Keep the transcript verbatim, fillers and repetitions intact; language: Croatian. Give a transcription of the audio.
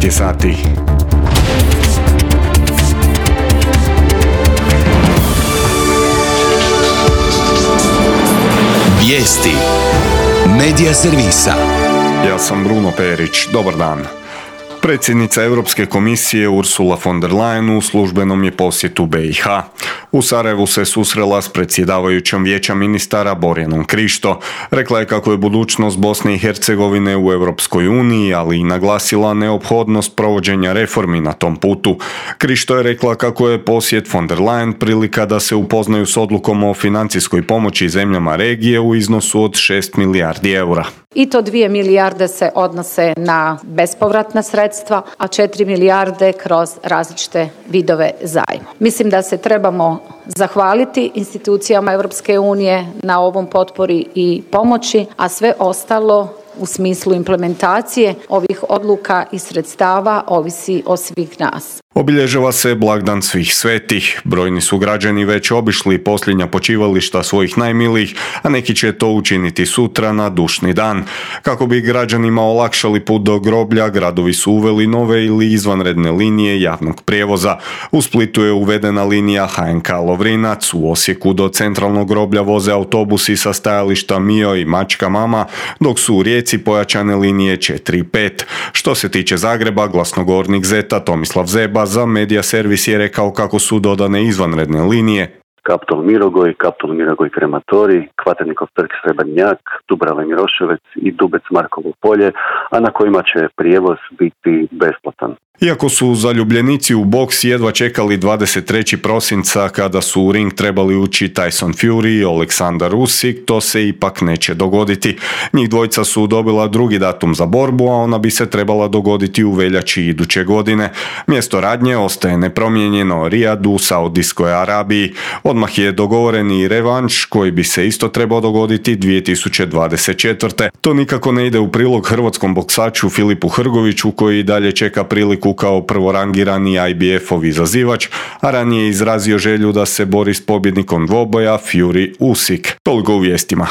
je sati. Vijesti Medija servisa. Ja sam Bruno Perić. Dobar dan. Predsjednica Europske komisije Ursula von der Leyen u službenom je posjetu B i H. U Sarajevu se susrela s predsjedavajućom Vijeća ministara Borjanom Krišto. Rekla je kako je budućnost Bosne i Hercegovine u Europskoj uniji, ali i naglasila neophodnost provođenja reformi na tom putu. Krišto je rekla kako je posjet von der Leyen prilika da se upoznaju s odlukom o financijskoj pomoći zemljama regije u iznosu od šest milijardi eura. I to dvije milijarde se odnose na bespovratna sredstva, a četiri milijarde kroz različite vidove zajma. Mislim da se trebamo zahvaliti institucijama Europske unije na ovom potpori i pomoći, a sve ostalo u smislu implementacije ovih odluka i sredstava ovisi o svih nas. Obilježava se blagdan svih svetih. Brojni su građani već obišli posljednja počivališta svojih najmilijih, a neki će to učiniti sutra na dušni dan. Kako bi građanima olakšali put do groblja, gradovi su uveli nove ili izvanredne linije javnog prijevoza. U Splitu je uvedena linija H N K Lovrinac, u Osijeku do centralnog groblja voze autobusi sa stajališta Mio i Mačka Mama, dok su u Rijeci pojačane linije četiri i pet. Što se tiče Zagreba, glasnogovornik Zeta Tomislav Zeba za Medija servis je rekao kako su dodane izvanredne linije Kaptol Mirogoj, Kaptol Mirogoj Krematorij, Kvaternikov trg Srebrnjak, Dubrava Miroševac i Dubec Markovo polje, a na kojima će prijevoz biti besplatan. Iako su zaljubljenici u boks jedva čekali dvadeset trećeg prosinca kada su u ring trebali ući Tyson Fury i Aleksandar Usyk, to se ipak neće dogoditi. Njih dvojica su dobila drugi datum za borbu, a ona bi se trebala dogoditi u veljači iduće godine. Mjesto radnje ostaje nepromijenjeno, Rijad u Saudijskoj Arabiji. Odmah je dogovoren i revanš koji bi se isto trebao dogoditi dvije tisuće dvadeset četvrte. To nikako ne ide u prilog hrvatskom boksaču Filipu Hrgoviću koji dalje čeka priliku kao prvorangirani I B F-ov izazivač, a ranije je izrazio želju da se bori s pobjednikom dvoboja Fury Usyk. Toliko u vijestima.